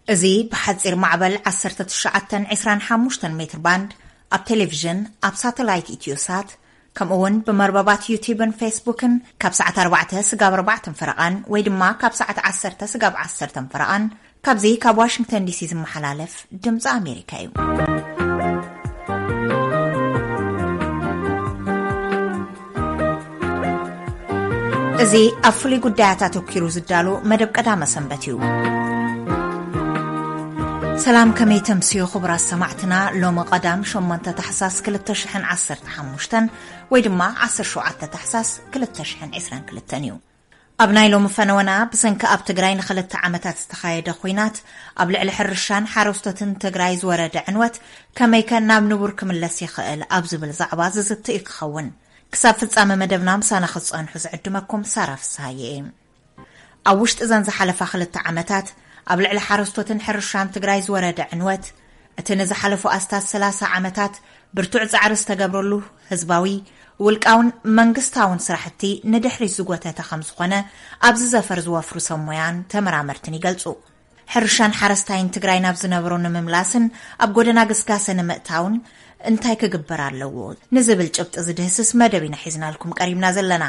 እዚ ብሓጺር ማዕበል ዓሰርተ ትሽዓተ ዕስራን ሓሙሽተን ሜትር ባንድ ኣብ ቴሌቪዥን፣ ኣብ ሳተላይት ኢትዮሳት፣ ከምኡ እውን ብመርበባት ዩቲዩብን ፌስቡክን ካብ ሰዓት ኣርባዕተ ስጋብ ኣርባዕተን ፈረቓን ወይ ድማ ካብ ሰዓት ዓሰርተ ስጋብ ዓሰርተን ፈረቓን ካብዚ ካብ ዋሽንግተን ዲሲ ዝመሓላለፍ ድምፂ ኣሜሪካ እዩ። እዚ ኣብ ፍሉይ ጉዳያት ኣተኪሩ ዝዳሎ መደብ ቀዳመ ሰንበት እዩ። ሰላም፣ ከመይ ተምስዩ ክቡራት ሰማዕትና? ሎሚ ቀዳም ሸሞንተ ታሕሳስ ክልተ ሽሕን ዓሰርተ ሓሙሽተን ወይ ድማ ዓሰርተ ሸውዓተ ታሕሳስ ክልተ ሽሕን ዕስራን ክልተን እዩ። ኣብ ናይ ሎሚ ፈነወና ብሰንኪ ኣብ ትግራይ ንክልተ ዓመታት ዝተኻየደ ኹናት ኣብ ልዕሊ ሕርሻን ሓረስቶትን ትግራይ ዝወረደ ዕንወት ከመይከ ናብ ንቡር ክምለስ ይኽእል ኣብ ዝብል ዛዕባ ዝዝትእ እዩ ክኸውን። ክሳብ ፍጻመ መደብና ምሳና ክትጸንሑ ዝዕድመኩም ሳራ ፍስሃየ እየ። ኣብ ውሽጢ እዘን ዝሓለፋ ክልተ ዓመታት ኣብ ልዕሊ ሓረስቶትን ሕርሻን ትግራይ ዝወረደ ዕንወት፣ እቲ ንዝሓለፉ ኣስታት ሰላሳ ዓመታት ብርቱዕ ጻዕሪ ዝተገብረሉ ህዝባዊ፣ ውልቃውን መንግስታውን ስራሕቲ ንድሕሪት ዝጎተተ ከም ዝኾነ ኣብዚ ዘፈር ዝወፍሩ ሰብ ሞያን ተመራመርትን ይገልጹ። ሕርሻን ሓረስታይን ትግራይ ናብ ዝነበሮ ንምምላስን ኣብ ጎደና ግስጋሰ ንምእታውን እንታይ ክግበር ኣለዎ ንዝብል ጭብጢ ዝድህስስ መደብ ኢና ሒዝናልኩም ቀሪብና ዘለና።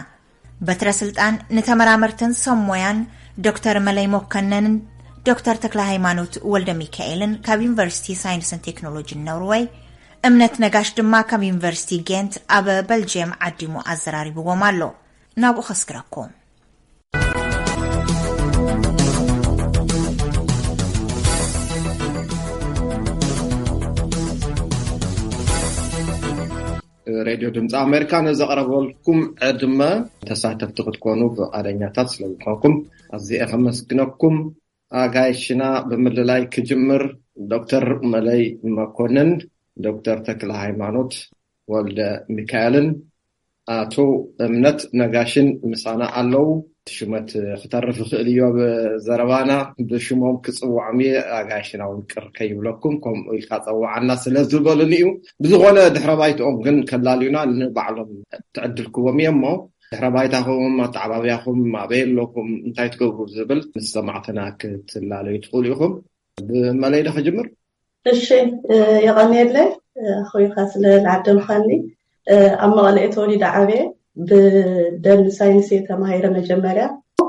በትረ ስልጣን ንተመራመርትን ሰብ ሞያን ዶክተር መለይ መኮነንን ዶክተር ተክለ ሃይማኖት ወልደ ሚካኤልን ካብ ዩኒቨርሲቲ ሳይንስን ቴክኖሎጂን ኖርወይ፣ እምነት ነጋሽ ድማ ካብ ዩኒቨርሲቲ ጌንት ኣብ በልጅየም ዓዲሙ ኣዘራሪብዎም ኣሎ። ናብኡ ከስግረኩም። ሬድዮ ድምፂ ኣሜሪካ ንዘቕረበልኩም ዕድመ ተሳተፍቲ ክትኮኑ ፍቓደኛታት ስለዝኾንኩም ኣዝየ ከመስግነኩም። ኣጋይሽና ብምልላይ ክጅምር፣ ዶክተር መለይ መኮንን፣ ዶክተር ተክለ ሃይማኖት ወልደ ሚካኤልን ኣቶ እምነት ነጋሽን ምሳና ኣለዉ። እቲ ሽመት ክተርፍ ይኽእል እዩ ኣብ ዘረባና። ብሽሞም ክጽውዖም እየ፣ ኣጋይሽና እውን ቅር ከይብለኩም ከምኡ ኢልካ ጸውዓና ስለ ዝበሉኒ እዩ። ብዝኾነ ድሕረ ባይትኦም ግን ከላልዩና ንባዕሎም ትዕድልክዎም እየ እሞ ድሕረ ባይታኹም፣ ኣተዓባብያኹም፣ ኣበይ ኣለኹም፣ እንታይ ትገብሩ ዝብል ምስ ሰማዕትና ክትላለዩ ትኽእሉ ኢኹም። ብመለይ ዶ ክጅምር? እሺ፣ እ፣ የቐንየለይ፣ እ፣ ኣኽቢርካ ስለ ዝዓደምካኒ። እ፣ ኣብ መቐለ እየ ተወሊደ ዓብየ። ብደን ሳይንስ እየ ተማሂረ መጀመርያ።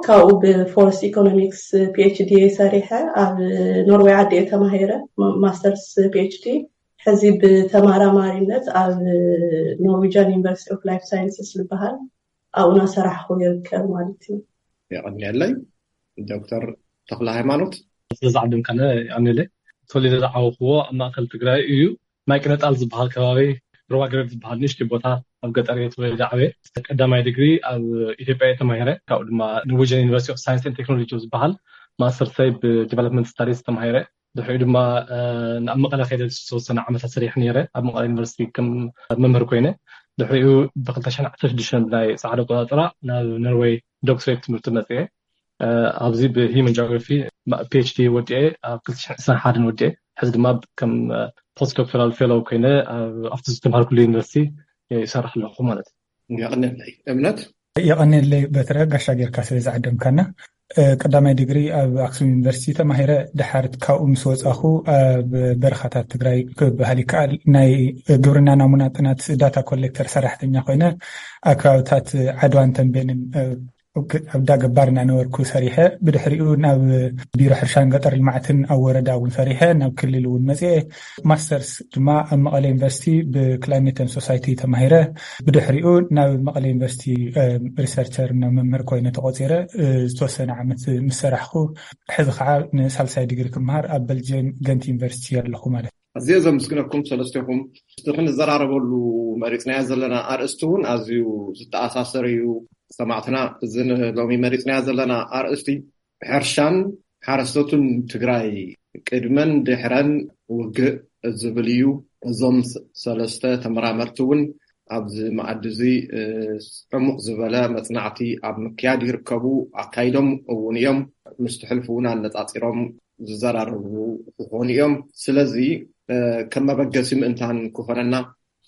ካብኡ ብፎረስት ኢኮኖሚክስ ፒ ኤች ዲ እየ ሰሪሐ። ኣብ ኖርዌይ ዓዲ እየ ተማሂረ፣ ማ-፣ ማስተርስ ፒ ኤች ዲ። ሕዚ ብተመራማሪነት ኣብ ኖርዌጅያን ዩኒቨርሲቲ ኦፍ ላይፍ ሳይንስስ ዝበሃል ኣብኡ እናሰራሕኩ ይርከብ ማለት እዩ። የቐንየለይ። ዶክተር ተኽለ ሃይማኖት። ስለ ዝዓደምካና የቐንየለይ። ተወሊደ ዝዓበኹዎ ኣብ ማእከል ትግራይ እዩ። ማይ ቅነጣል ዝበሃል ከባቢ፣ ሩባ ገረብ ዝበሃል ንእሽተይ ቦታ ኣብ ገጠር እየ ተወሊደ ዓብየ። ቀዳማይ ዲግሪ ኣብ ኢትዮጵያ እየ ተማሂረ። ካብኡ ድማ ኖርዌጅን ዩኒቨርሲቲ ኦፍ ሳይንስ ኤንድ ቴክኖሎጂ ዝበሃል ማስተርሰይ ብዲቨሎፕመንት ስታዲስ ተማሂረ። ድሕሪኡ ድማ፣ እ፣ ናብ መቐለ ከይደ ዝተወሰነ ዓመታት ሰሪሐ ነይረ። ኣብ መቐለ ዩኒቨርሲቲ ከም መምህር ኮይነ። ድሕሪኡ ብክልተ ሽሕን ዓሰርተ ሽዱሽተን ብናይ ጻዕዳ ኣቆጻጽራ ናብ ኖርዌይ ዶክትሬት ትምህርቲ መጽየ። እ፣ ኣብዚ ብሂዩማን ጂኦግራፊ ማ-፣ ፒ ኤች ዲ ወዲኤ ኣብ ክልተ ሽሕን ዕስራን ሓደን ወዲኤ። ሕዚ ድማ ከም፣ እ፣ ፖስት ዶክተራል ፌሎው ኮይነ ኣብ፣ ኣብቲ ዝተምሃርኩሉ ዩኒቨርሲቲ ይሰርሕ ኣለኹ ማለት እዩ። የቐንየለይ እምነት። የቐንየለይ በትረ፣ ጋሻ ጌርካ ስለ ዝዓደምካና። እ፣ ቀዳማይ ዲግሪ ኣብ ኣክሱም ዩኒቨርሲቲ ተማሂረ። ድሓር ካብኡ ምስ ወጻኹ ኣብ በረኻታት ትግራይ ክበሃል ይከኣል ናይ ግብርና ናሙና ጥናት ዳታ ኮሌክተር ሰራሕተኛ ኮይነ ኣብ ከባብታት ዓድዋን ተንቤንን፣ እ፣ ኣብ ዳ ገባር እናነበርኩ ሰሪሐ። ብድሕሪኡ ናብ ቢሮ ሕርሻን ገጠር ልምዓትን ኣብ ወረዳ እውን ሰሪሐ፣ ናብ ክልል እውን መፅኤ። ማስተርስ ድማ ኣብ መቐለ ዩኒቨርሲቲ ብክላይሜት ኤንድ ሶሳይቲ ተማሂረ። ብድሕሪኡ ናብ መቐለ ዩኒቨርሲቲ፣ እ፣ ሪሰርቸር እና መምህር ኮይነ ተቆፂረ። እ፣ ዝተወሰነ ዓመት ምስ ሰራሕኩ፣ ሕዚ ከዓ ንሳልሳይ ዲግሪ ክመሃር ኣብ በልጅየም ገንት ዩኒቨርሲቲ ኣለኹ ማለት እዩ። ኣዝየ ዘመስግነኩም ሰለስቴኹም። ምስቲ ክንዘራረበሉ መሪፅናዮ ዘለና ኣርእስቲ እውን ኣዝዩ ዝተኣሳሰር እዩ። ሰማዕትና፣ እዚ ሎሚ መሪፅናዮ ዘለና ኣርእስቲ ሕርሻን ሓረስቶትን ትግራይ ቅድመን ድሕረን ውግእ ዝብል እዩ። እዞም ስ-፣ ሰለስተ ተመራመርቲ እውን ኣብዚ መኣዲ እዚ፣ እ፣ ዕሙቕ ዝበለ መጽናዕቲ ኣብ ምክያድ ይርከቡ፣ ኣካይዶም እውን እዮም። ምስቲ ሕልፊ እውን ኣነጻጺሮም ዝዘራረቡ ክኾኑ እዮም። ስለዚ፣ እ፣ ከም መበገሲ ምእንታን ክኾነና፣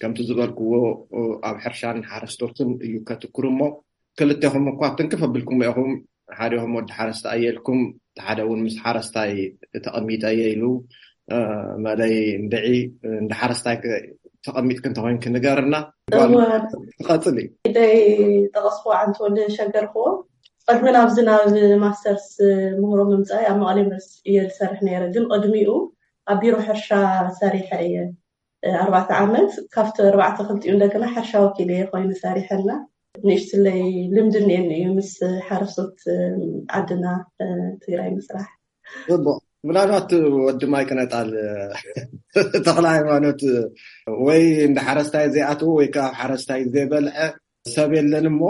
ከምቲ ዝበልክዎ፣ እ፣ ኣብ ሕርሻን ሓረስቶትን እዩ ከትኩር እሞ፣ ክልቴኹም እኳ ትንክፍ ኣቢልኩም ኢኹም። ሓዲኹም ወዲ ሓረስታይ ኣየልኩም፣ ሓደ እውን ምስ ሓረስታይ ተቐሚጠ እየ ኢሉ፣ መለይ እንድዒ እንደ ሓረስታይ ተቐሚጥክ እንተኮይንክ ንገርና። ጓል ትቐጽል እዩ። ደይ ጠቐስኩ ዓንተወለ ሸገርክዎ። ቅድሚ ናብዚ ናብ ማስተርስ ምህሮ ምምፃእ ኣብ መቐለ ዩኒቨርሲቲ እየ ዝሰርሕ ነይረ፣ ግን ቅድሚኡ ኣብ ቢሮ ሕርሻ ሰሪሐ እየ። ኣርባዕተ ዓመት ካብቲ ኣርባዕተ ክልቲኡ እንደገና ሕርሻ ወኪል እየ ኮይኑ ሰሪሐና። ንእሽትለይ ልምዲ እኒኤኒ እዩ ምስ ሓረስቶት ዓድና ትግራይ ምስራሕ። ምናልባት ወዲ ማይ ቅነጣል ተኽለ ሃይማኖት ወይ እንደ ሓረስታይ ዘይኣትዉ ወይ ከዓ ሓረስታይ ዘይበልዐ ሰብ የለን እሞ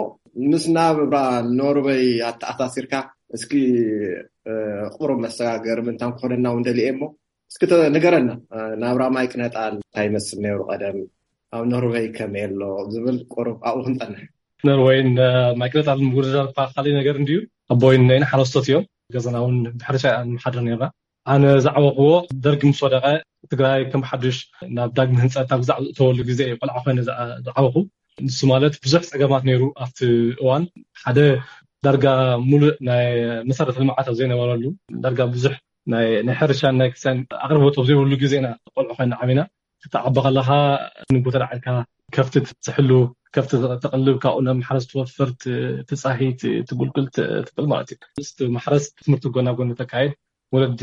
ምስ ናብራ ኖርወይ ኣተኣሳሲርካ እስኪ ቁሩብ መሰጋገሪ ምንታን ክኾነና እውን ደልየ እሞ እስኪ ንገረና። ናብራ ማይ ቅነጣል እንታይ ይመስል ነይሩ ቀደም፣ ኣብ ኖርወይ ከመይ ኣሎ ዝብል ቁሩብ ኣብኡ ክንፀንሕ። ኖርወይን ማይ ቅነጣል ምውድዳር እኳ ካልእ ነገር እንድዩ። ኣቦይን ነይን ሓረስቶት እዮም። ገዛና እውን ብሕርሻ ንሓድር ነርና። ኣነ ዝዓበኽዎ ደርጊ ምስ ወደቐ ትግራይ ከም ሓዱሽ ናብ ዳግም ህንፀት ናብ ዝኣተወሉ ግዜ እዩ ቆልዓ ኮይነ ዝዓበኹ። ንሱ ማለት ብዙሕ ፀገማት ነይሩ ኣብቲ እዋን። ሓደ ዳርጋ ሙሉእ ናይ መሰረተ ልምዓት ኣብ ዘይነበረሉ፣ ዳርጋ ብዙሕ ናይ ሕርሻን ናይ ክሳን ኣቅርቦት ኣብ ዘይብሉ ግዜ ኢና ቆልዑ ኮይና ዓቢና። ክትዓቢ ከለካ ንጎ ተላዒልካ ከፍቲ ትሕሉ፣ ከፍቲ ተቅልብ፣ ካብኡ ናብ ማሕረስ ትወፍር፣ ትፃሂ፣ ትጉልግል፣ ትብል ማለት እዩ። ምስ ማሕረስ ትምህርቲ ጎና ጎኒ ተካይድ፣ ወለዲ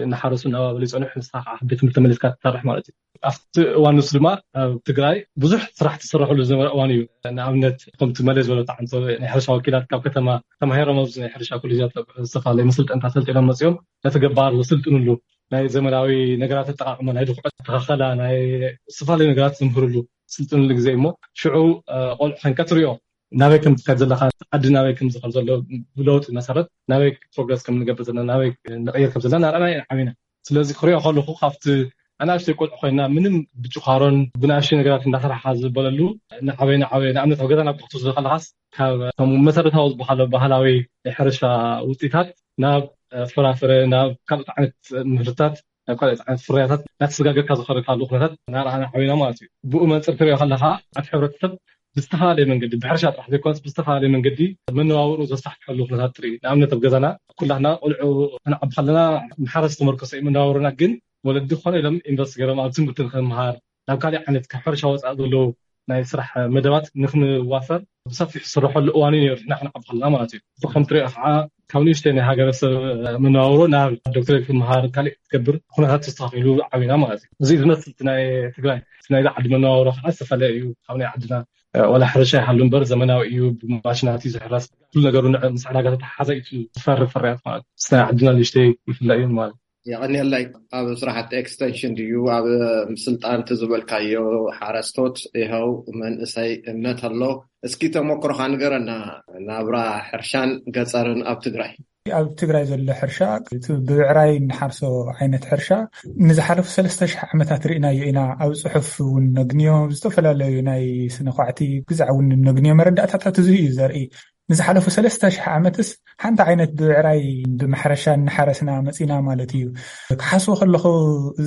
እናሓረሱ እናባበሉ ይፀንሑ፣ ንስካ ከዓ ቤት ትምህርቲ ተመሊስካ ትሰርሕ ማለት እዩ። ኣብቲ እዋን ንሱ ድማ ኣብ ትግራይ ብዙሕ ስራሕ ትስረሐሉ ዝነበረ እዋን እዩ። ንኣብነት ከምቲ መለ ዝበሎ ተዓንቶ ናይ ሕርሻ ወኪላት ካብ ከተማ ተማሂሮም ኣብዚ ናይ ሕርሻ ኮሌጃት ዝተፈላለዩ መሰልጠንታት ሰልጢኖም መፅኦም ነቲ ገባር ዘስልጥንሉ ናይ ዘመናዊ ነገራት ኣጠቃቅማ፣ ናይ ድኩዐት ተኸኸላ፣ ናይ ዝተፈላለዩ ነገራት ዝምህርሉ ስልጥንሉ ግዜ እሞ ሽዑ ቆልዑ ከንቀትርዮ ናበይ ከም ትኸድ ዘለካ፣ ዓዲ ናበይ ከም ዝኸድ ዘሎ፣ ብለውጢ መሰረት ናበይ ፕሮግረስ ከም ንገብር ዘለና፣ ናበይ ንቀይር ከም ዘለና ናርኣና ኢና ዓቢና። ስለዚ ክሪኦ ከለኩ ካብቲ ኣናእሽተይ ቆልዑ ኮይና ምንም ብጭኳሮን ብናእሽተይ ነገራት እንዳሰራሕካ ዝበለሉ ንዓበይ ንዓበይ ንኣብነት ኣብ ገዛና ክትወስዶ ከለካስ ካብ መሰረታዊ ዝበሃሉ ባህላዊ ናይ ሕርሻ ውፅኢታት ናብ ፍራፍረ ናብ ካልኦት ዓይነት ምህርታት ናብ ካልኦት ዓይነት ፍርያታት እናተሰጋገርካ ዝኸደካሉ ኩነታት ናርኣና ዓቢና ማለት እዩ። ብኡ መንፅር ትሪኦ ከለካ ኣብ ሕብረተሰብ ብዝተፈላለየ መንገዲ ብሕርሻ ጥራሕ ዘይኮነስ ብዝተፈላለየ መንገዲ መነባብሩ ዘሳሕትሐሉ ኩነታት ትርኢ። ንኣብነት ኣብ ገዛና ኩላትና ቆልዑ ክንዓቢ ከለና ማሕረስ ተመርኮሰ እዩ መነባብሮና፣ ግን ወለዲ ኮነ ኢሎም ኢንቨስት ገይሮም ኣብ ትምህርቲ ንክንምሃር ናብ ካሊእ ዓይነት ካብ ሕርሻ ወፃኢ ዘለዉ ናይ ስራሕ መደባት ንክንዋፈር ብሰፊሑ ዝስረሐሉ እዋን እዩ ነይሩ። ንሕና ክንዓቢ ከለና ማለት እዩ። እዚ ከም ትሪኦ ከዓ ካብ ንእሽተይ ናይ ሃገረሰብ መነባብሮ ናብ ዶክትሬት ክምሃር ካሊእ ክትገብር ኩነታት ተስተካኪሉ ዓቢና ማለት እዩ። እዚ ዝመስል እቲ ናይ ትግራይ እቲ ናይዚ ዓዲ መነባብሮ ከዓ ዝተፈለየ እዩ ካብ ናይ ዓድና። ዋላ ሕርሻ ይሃሉ እምበር ዘመናዊ እዩ፣ ብማሽናት እዩ ዝሕረስ። ኩሉ ነገሩ ምስ ዕዳጋ ተተሓሓዘ እዩ ዝፈሪ ፍርያት ማለት እዩ። ናይ ዓድና ንእሽተይ ይፍለ እዩ ማለት። የቐንየለይ። ኣብ ስራሕቲ ኤክስቴንሽን ድዩ ኣብ ስልጣን እቲ ዝበልካዮ ሓረስቶት ይኸው መንእሰይ እምነት ኣሎ። እስኪ ተሞክሮኻ ንገረና። ናብራ ሕርሻን ገፀርን ኣብ ትግራይ። ኣብ ትግራይ ዘሎ ሕርሻ እቲ ብብዕራይ እንሓርሶ ዓይነት ሕርሻ ንዝሓለፉ ሰለስተ ሽሕ ዓመታት ርኢናዮ ኢና። ኣብ ፅሑፍ እውን ነግንዮ፣ ዝተፈላለዩ ናይ ስነ ኳዕቲ ግዛዕ እውን ነግንዮ መረዳእታታት እዚ እዩ ዘርኢ። ንዝሓለፉ ሰለስተ ሽሕ ዓመትስ ሓንቲ ዓይነት ብብዕራይ ብማሕረሻ እናሓረስና መፂና ማለት እዩ። ክሓስቦ ከለኹ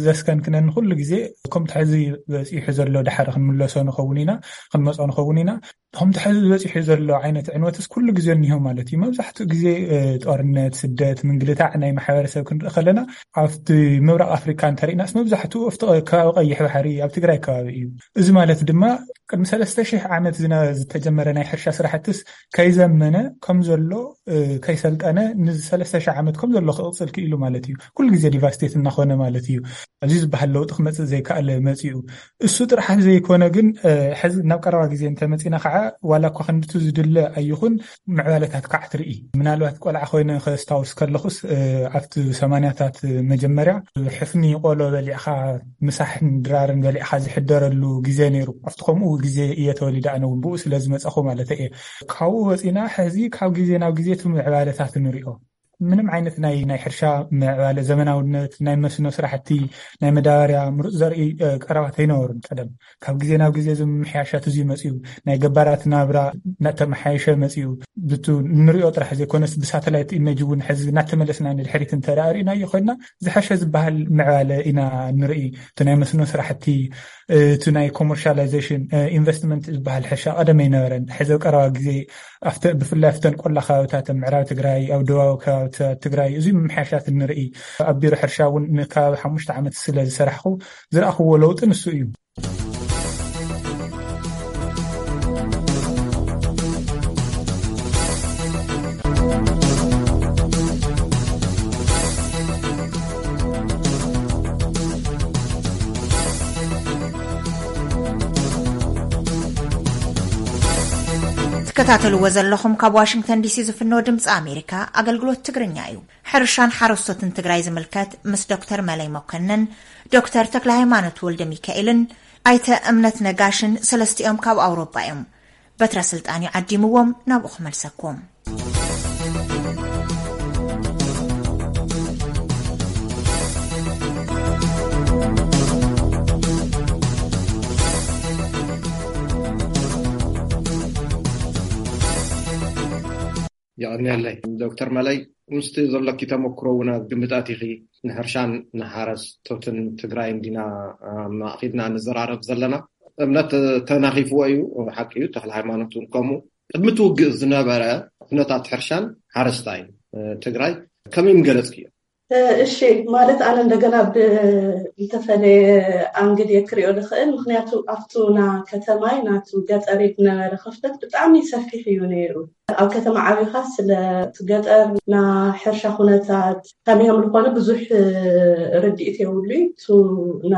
ዘስከንክነኒ ኩሉ ግዜ ከምቲ ሕዚ በፂሑ ዘሎ ድሓር ክንምለሶ ንኸውን ኢና፣ ክንመፆ ንኸውን ኢና። ከምቲ ሕዚ በፂሑ ዘሎ ዓይነት ዕንወትስ ኩሉ ግዜ እኒሆ ማለት እዩ። መብዛሕትኡ ግዜ ጦርነት፣ ስደት፣ ምንግልታዕ ናይ ማሕበረሰብ ክንርኢ ከለና ኣብቲ ምብራቅ ኣፍሪካ እንተሪእናስ መብዛሕትኡ ኣብቲ ከባቢ ቀይሕ ባሕሪ ኣብ ትግራይ ከባቢ እዩ። እዚ ማለት ድማ ቅድሚ ሰለስተ ሽሕ ዓመት ዝተጀመረ ናይ ሕርሻ ስራሕትስ ከይዘመነ ከም ዘሎ ከይሰልጠነ ንዚ ሰለስተ ሽሕ ዓመት ከም ዘሎ ክቕፅል ክኢሉ ማለት እዩ። ኩሉ ግዜ ዲቫስቴት እናኾነ ማለት እዩ። ኣብዚ ዝበሃል ለውጢ ክመፅእ ዘይከኣለ መፂኡ። እሱ ጥራሕ ዘይኮነ ግን ሕዚ ናብ ቀረባ ግዜ እንተመፂና ከዓ ዋላ እኳ ክንድቲ ዝድለ ኣይኹን ምዕባለታት ከዓ ትርኢ። ምናልባት ቆልዓ ኮይነ ከስታውስ ከለኹስ ኣብቲ ሰማንያታት መጀመርያ ሕፍኒ ቆሎ በሊዕካ ምሳሕን ድራርን በሊዕካ ዝሕደረሉ ግዜ ነይሩ። ኣብቲ ከምኡ ግዜ እየ ተወሊደ ኣነ እውን ብኡ ስለ ዝመፀኹ ማለት እየ። ካብኡ ወፂና ሕዚ ካብ ግዜ ናብ ግዜ እቲ ምዕባለታት ንሪኦ። ምንም ዓይነት ናይ ናይ ሕርሻ ምዕባለ ዘመናውነት ናይ መስኖ ስራሕቲ ናይ መዳበርያ ምሩፅ ዘርኢ ቀረባት ኣይነበሩን ቀደም። ካብ ግዜ ናብ ግዜ እዚ ምምሕያሻት እዚ መፅዩ ናይ ገባራት ናብራ እናተመሓየሸ መፅዩ ብቱ ንሪኦ ጥራሕ ዘይኮነስ ብሳተላይት ኢሜጅ እውን ሕዚ እናተመለስና ንድሕሪት እንተደኣ ርኢናዮ ኮይና ዝሐሸ ዝበሃል ምዕባለ ኢና ንርኢ። እቲ ናይ መስኖ ስራሕቲ እቲ ናይ ኮመርሻላይዜሽን ኢንቨስትመንት ዝበሃል ሕርሻ ቀደም ኣይነበረን። ሕዚ ቀረባ ግዜ ብፍላይ ኣብተን ቆላ ከባብታት ምዕራብ ትግራይ ኣብ ደቡባዊ ከባቢ ትግራይ እዚ ምምሕያሻት ንርኢ። ኣብ ቢሮ ሕርሻ እውን ንከባቢ ሓሙሽተ ዓመት ስለ ዝሰራሕኩ ዝረኣኽዎ ለውጢ ንሱ እዩ። ትከታተልዎ ዘለኹም ካብ ዋሽንግተን ዲሲ ዝፍኖ ድምፂ ኣሜሪካ ኣገልግሎት ትግርኛ እዩ። ሕርሻን ሓረስቶትን ትግራይ ዝምልከት ምስ ዶክተር መለይ መኮንን፣ ዶክተር ተክለ ሃይማኖት ወልደ ሚካኤልን ኣይተ እምነት ነጋሽን ሰለስቲኦም ካብ ኣውሮጳ እዮም። በትረ ስልጣን እዩ ዓዲምዎም፣ ናብኡ ክመልሰኩም። የቐንየለይ ዶክተር መለይ፣ ምስቲ ዘሎኪ ተመክሮ እውን ኣብ ግምጣት ኢኺ። ንሕርሻን ንሓረስቶትን ትግራይ እንዲና ማእኪልና ንዘራረብ ዘለና። እምነት ተናኺፍዎ እዩ፣ ሓቂ እዩ። ተክለ ሃይማኖት እውን ከምኡ። ቅድሚ እቲ ውግእ ዝነበረ ኩነታት ሕርሻን ሓረስታይ ትግራይ ከመይ ምገለፅክዮ? እሺ፣ ማለት ኣነ እንደገና ብዝተፈለየ ኣንግል እየ ክሪኦ ዝኽእል። ምክንያቱ ኣብቱ ና ከተማይ ናቱ ገጠር ዝነበረ ክፍተት ብጣዕሚ ሰፊሕ እዩ ነይሩ። ኣብ ከተማ ዓቢኻ ስለ እቲ ገጠር ና ሕርሻ ኩነታት ከመይ ከም ዝኾነ ብዙሕ ርድኢት የብሉይ። ቱ ና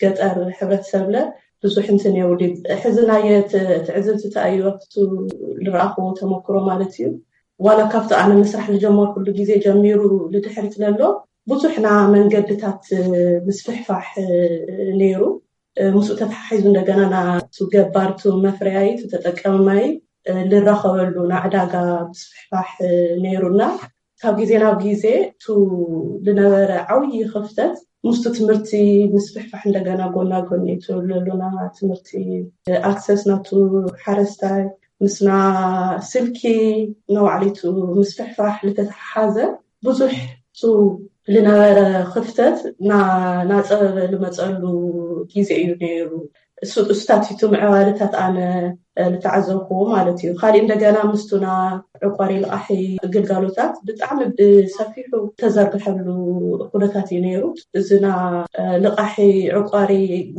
ገጠር ሕብረተሰብለ ብዙሕ እንትን የብሉይ። ሕዚ ናየ ትዕዝብቲ ተኣዩ ኣብቱ ዝረኣኽዎ ተመክሮ ማለት እዩ። ዋላ ካብቲ ኣነ ምስራሕ ዝጀመርኩሉ ግዜ ጀሚሩ ንድሕሪት ለሎ ብዙሕ ና መንገድታት ምስፍሕፋሕ ነይሩ። ምስኡ ተተሓሒዙ እንደገና ናቱ ገባርቱ መፍረያይቱ ተጠቀማይ ልራኸበሉ ናዕዳጋ ምስፍሕፋሕ ነይሩና። ካብ ግዜ ናብ ግዜ ቱ ዝነበረ ዓብዪ ክፍተት ምስቱ ትምህርቲ ምስፍሕፋሕ እንደገና ጎና ጎኒ ትብለሉና ትምህርቲ ኣክሰስ ናቱ ሓረስታይ ምስና ስልኪ ነባዕሊቱ ምስፍሕፋሕ ልተተሓሓዘ ብዙሕ ቱ ዝነበረ ክፍተት ናፀበበ ልመፀሉ ግዜ እዩ ነይሩ። እሱታት ቱ ምዕባለታት ኣነ ልተዓዘብክዎ ማለት እዩ። ካሊእ እንደገና ምስቱና ዕቋሪ ልቃሒ ግልጋሎታት ብጣዕሚ ብሰፊሑ ተዘርግሐሉ ኩነታት እዩ ነይሩ። እዚና ልቃሒ ዕቋሪ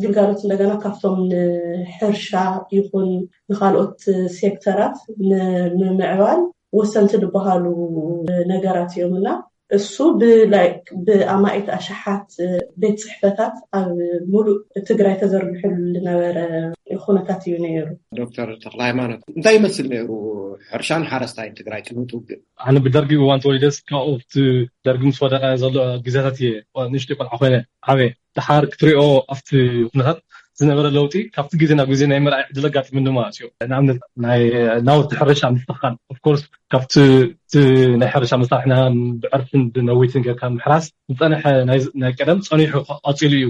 ግልጋሎት እንደገና ካብቶም ንሕርሻ ይኹን ንካልኦት ሴክተራት ንምምዕባል ወሰንቲ ዝበሃሉ ነገራት እዮም እና እሱ ብኣማኢት ኣሽሓት ቤት ፅሕፈታት ኣብ ሙሉእ ትግራይ ተዘርግሕሉ ዝነበረ ኩነታት እዩ ነይሩ። ዶክተር ተክለ ሃይማኖት፣ እንታይ ይመስል ነይሩ ሕርሻን ሓረስታይን ትግራይ ቅድሚ እቲ ውግእ? ኣነ ብደርጊ እዋን ተወሊደስ ካብኡ ኣብቲ ደርጊ ምስ ወደቀ ዘሎ ግዜታት እየ ንእሽተይ ቆልዓ ኮይነ ዓብየ። ደሓር ክትሪኦ ኣብቲ ኩነታት ዝነበረ ለውጢ ካብቲ ግዜ ናብ ግዜ ናይ ምርኣይ ዕድል ኣጋጢሙኒ ማለት እዩ። ንኣብነት ናይ ናውቲ ሕርሻ ምስትኽኻል፣ ኦፍኮርስ ካብቲ ናይ ሕርሻ መሳርሕና ብዕርፍን ብነዊትን ጌርካ ምሕራስ ዝፀንሐ ናይ ቀደም ፀኒሑ ቀፂሉ እዩ።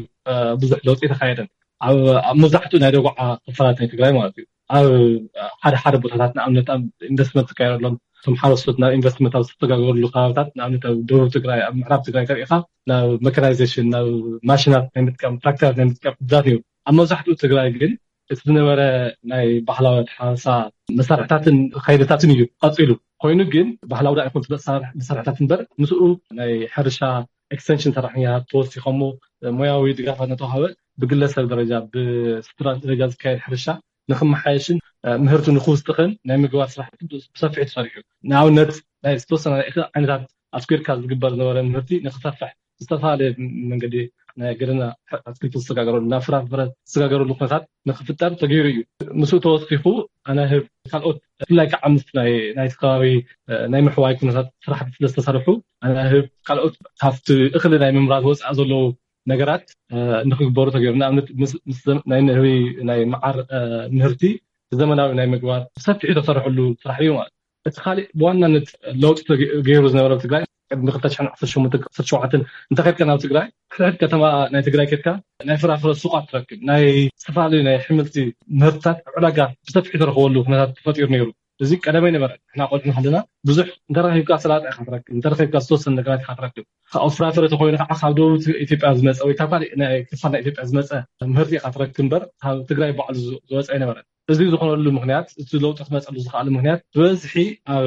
ብዙሕ ለውጢ ተካየደን ኣብ መብዛሕትኡ ናይ ደጉዓ ክፋላት ናይ ትግራይ ማለት እዩ። ኣብ ሓደ ሓደ ቦታታት ንኣብነት ኣብ ኢንቨስትመንት ዝካየደሎም እቶም ሓረስቶት ናብ ኢንቨስትመንት ኣብ ዝተሰጋገረሉ ከባብታት ንኣብነት ኣብ ደቡብ ትግራይ ኣብ ምዕራብ ትግራይ ተሪኢኻ ናብ መካናይዜሽን ናብ ማሽናት ናይ ምጥቃም ትራክተራት ናይ ምጥቃም ዕድላት ነይሩ። ኣብ መብዛሕትኡ ትግራይ ግን እቲ ዝነበረ ናይ ባህላዊ ኣተሓርሳ መሳርሕታትን ከይድታትን እዩ ቀፂሉ። ኮይኑ ግን ባህላዊ ዳ ይኹን መሳርሕታት እምበር ምስኡ ናይ ሕርሻ ኤክስቴንሽን ሰራሕተኛታት ተወሲኾሞ ሞያዊ ድጋፋት እናተዋሃበ ብግለሰብ ደረጃ ብስትራን ደረጃ ዝካየድ ሕርሻ ንክመሓየሽን ምህርቱ ንክውስኽን ናይ ምግባር ስራሕቲ ብሰፊሑ ተሰሪሑ። ንኣብነት ናይ ዝተወሰነ ዓይነታት ኣስኪርካ ዝግበር ዝነበረ ምህርቲ ንክሰፍሕ ዝተፈላለየ መንገዲ ናይ ገደና ኣትክልቲ ዝሰጋገረሉ ናብ ፍራፍረ ዝሰጋገረሉ ኩነታት ንክፍጠር ተገይሩ እዩ። ምስኡ ተወሲኹ ኣናህብ ካልኦት ብፍላይ ከዓ ምስ ናይቲ ከባቢ ናይ ምሕዋይ ኩነታት ስራሕቲ ስለዝተሰርሑ ኣናህብ ካልኦት ካብቲ እኽሊ ናይ ምምራት ወፃኢ ዘለዉ ነገራት ንክግበሩ ተገይሩ። ንኣብነት ናይ ንህቢ ናይ መዓር ምህርቲ ብዘመናዊ ናይ ምግባር ብሰፊሑ ተሰርሐሉ ስራሕ እዩ ማለት። እቲ ካሊእ ብዋናነት ለውጢ ገይሩ ዝነበረ ኣብ ትግራይ ቅድሚ ክልተ ሽሕን ዓሰርተ ሸሞንተን ዓሰርተ ሸውዓተን እንተኸድካ ናብ ትግራይ ሕድሕድ ከተማ ናይ ትግራይ ከድካ ናይ ፍራፍረ ሱቓት ትረክብ። ናይ ዝተፈላለዩ ናይ ኣሕምልቲ ምህርትታት ኣብ ዕዳጋ ብሰፊሑ ተረኽበሉ ኩነታት ተፈጢሩ ነይሩ። እዚ ቀደመ ኣይነበረ። ንሕና ቆልዑ ከለና ብዙሕ እንተረኺብካ ሰላጣ ኢኻ ትረክብ፣ እንተረኺብካ ዝተወሰነ ነገራት ኢኻ ትረክብ። ካብ ፍራፍረ ተኮይኑ ከዓ ካብ ደቡብ ኢትዮጵያ ዝመፀ ወይ ካብ ካልእ ናይ ክፋል ናይ ኢትዮጵያ ዝመፀ ምህርቲ ኢኻ ትረክብ እምበር ካብ ትግራይ ባዕሉ ዝወፀ ኣይነበረን። እዚ ዝኾነሉ ምክንያት፣ እቲ ለውጢ ክመፀሉ ዝኽኣለ ምክንያት፣ ብበዝሒ ኣብ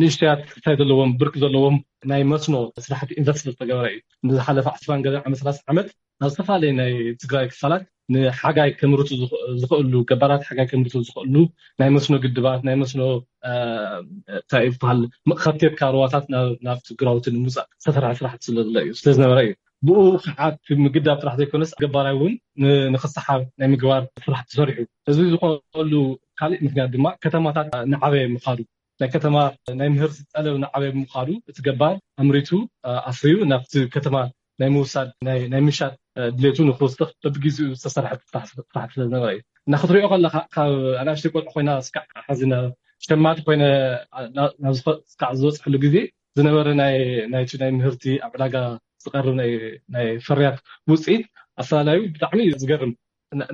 ንእሽተያት ትሕታይ ዘለዎም፣ ብርኪ ዘለዎም ናይ መስኖ ስራሕቲ ኢንቨስት ዝተገበረ እዩ። ንዝሓለፈ ዓስራን ገለ ዓመት፣ ሰላሳ ዓመት ናብ ዝተፈላለዩ ናይ ትግራይ ክፋላት ንሓጋይ ከምርቱ ዝኽ- ዝኽእሉ፣ ገባራት ሓጋይ ከምርቱ ዝኽእሉ ናይ መስኖ ግድባት፣ ናይ መስኖ እንታይ ይበሃል፣ ከብቴትካ ሩዋታት ናብ ናብቲ ግራውቲ ንምውፃእ ዝተሰርሐ ስራሕቲ ስለዝለ እዩ ስለዝነበረ እዩ። ብኡ ከዓ እቲ ምግዳብ ጥራሕ ዘይኮነስ ገባራይ እውን ንክሰሓብ ናይ ምግባር ስራሕ ተሰሪሑ። እዚ ዝኾነሉ ካሊእ ምክንያት ድማ ከተማታት ንዓበየ ምኻዱ፣ ናይ ከተማ ናይ ምህርቲ ጠለብ ንዓበየ ምኻዱ፣ እቲ ገባር ኣምሪቱ ኣፍርዩ ናብቲ ከተማ ናይ ምውሳድ ናይ ምሻጥ ድሌቱ ንክውስኽ በብግዜኡ ዝተሰርሐ ስራሕ ስለዝነበረ እዩ። እና ክትሪኦ ከለካ ካብ ኣናእሽተይ ቆልዑ ኮይና ስካዕ ሓዚና፣ ሸማቲ ኮይነ ናብ ስካዕ ዝበፅሐሉ ግዜ ዝነበረ ናይ ናይቲ ናይ ምህርቲ ኣብ ዕዳጋ ዝቀርብ ናይ ፍርያት ውፅኢት ኣፈላላዩ ብጣዕሚ እዩ ዝገርም።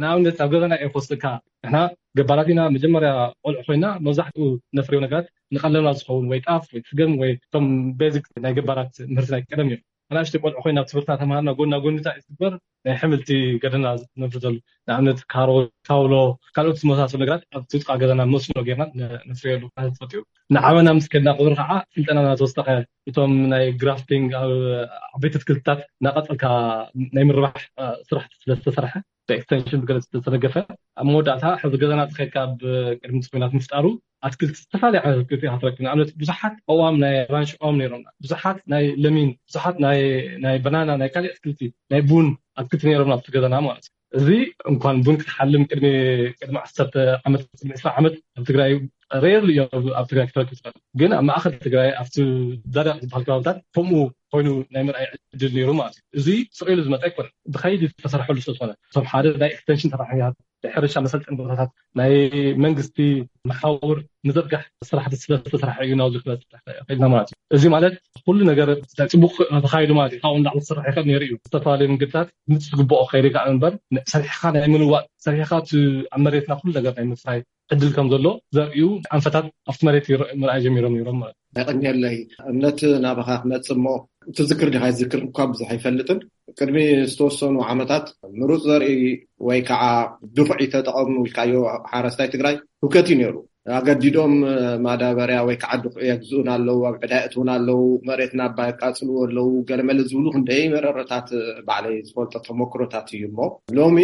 ንኣብነት ኣብ ገዛና እየ ክወስደካ። ንሕና ገባራት ኢና። መጀመርያ ቆልዑ ኮይና መብዛሕትኡ ነፍርዮ ነገራት ንቀለብና ዝኸውን ወይ ጣፍ ወይ ስገም ወይ እቶም ቤዚክ ናይ ገባራት ምህርቲ ናይ ቀደም እዮም። ኣናእሽተይ ቆልዑ ኮይና ኣብ ትምህርትና ተምሃርና ጎና ጎንታ እዩ ዝግበር ናይ ሕምልቲ ገደና ነፍርተሉ። ንኣብነት ካሮት፣ ካውሎ፣ ካልኦት ዝመሳሰሉ ነገራት ኣብ ትጥቃ ገዛና መስኖ ጌርና ነፍርየሉ ማለት ፈጢሩ። ንዓበና ምስ ከድና ቁፅሪ ከዓ ስልጠና እናተወሰኸ እቶም ናይ ግራፍቲንግ ኣብ ዓበይቲ ኣትክልትታት እናቀፀልካ ናይ ምርባሕ ስራሕቲ ስለዝተሰርሐ ብኤክስቴንሽን ብገለ ዝተደገፈ ኣብ መወዳእታ ሕዚ ገዛና ተኸድካ ኣብ ቅድሚ ኩናት ምፍጣሩ ኣትክልቲ ዝተፈላለዩ ዓይነት ኣትክልቲ ኢካ ትረክብ። ንኣብነት ብዙሓት ኣእዋም ናይ ኣራንሺ ኣእዋም ነይሮምና፣ ብዙሓት ናይ ለሚን፣ ብዙሓት ናይ ናይ በናና፣ ናይ ካልእ ኣትክልቲ፣ ናይ ቡን ኣትክልቲ ነይሮምና ኣብቲ ገዛና ማለት እዩ። እዚ እንኳን ቡን ክትሓልም ቅድሚ ቅድሚ ዓሰርተ ዓመት፣ ቅድሚ ዕስራ ዓመት ኣብ ትግራይ ሬርሊ እዩ ኣብ ትግራይ ክትረክብ ትኽእል። ግን ኣብ ማእኸል ትግራይ ኣብቲ ዳዳቕ ዝበሃል ከባብታት ከምኡ ኮይኑ ናይ ምርኣይ ዕድል ነይሩ ማለት እዩ። እዚ ስቕ ኢሉ ዝመፀ ኣይኮነን፣ ብኸይዲ ዝተሰርሐሉ ስለዝኾነ እቶም ሓደ ናይ ኤክስቴንሽን ሰራሕተኛታት ናይ ሕርሻ መሰልጠኒ ቦታታት ናይ መንግስቲ መሓውር ምዝርጋሕ ስራሕቲ ስለዝተሰርሐ እዩ ናብዚ ክበፅሕ ክኢልና ማለት እዩ። እዚ ማለት ኩሉ ነገር ፅቡቅ ተኻይዱ ማለት እዩ። ካብኡ ንላዕሊ ክስራሕ ይኽእል ነይሩ እዩ። ዝተፈላለዩ መንገድታት ምስ ዝግብኦ ክኸይድ ይከኣል እምበር ሰሪሕኻ ናይ ምልዋጥ ሰሪሕኻ እቲ ኣብ መሬትና ኩሉ ነገር ናይ ምፍራይ ዕድል ከም ዘሎ ዘርእዩ ኣንፈታት ኣብቲ መሬት ይረ- ምርኣይ ጀሚሮም ነይሮም ማለት እዩ። የቐንየለይ። እምነት ናባኻ ክመጽእ እሞ ትዝክር ዲኻ ይዝክር እኳ ብዙሕ ኣይፈልጥን። ቅድሚ ዝተወሰኑ ዓመታት ምሩፅ ዘርኢ ወይ ከዓ ድኹዒ ተጠቐሙ ኢልካዮ ሓረስታይ ትግራይ ህውከት እዩ ነይሩ። ኣገዲዶም ማዳበርያ ወይ ከዓ ድኹዒ የግዝኡን ኣለዉ፣ ኣብ ዕዳ የእትዉን ኣለዉ፣ መሬትና ኣባ የቃፅልዎ ኣለዉ፣ ገለመለ ዝብሉ ክንደይ መረረታት ባዕለይ ዝፈልጦ ተመክሮታት እዩ። እሞ ሎሚ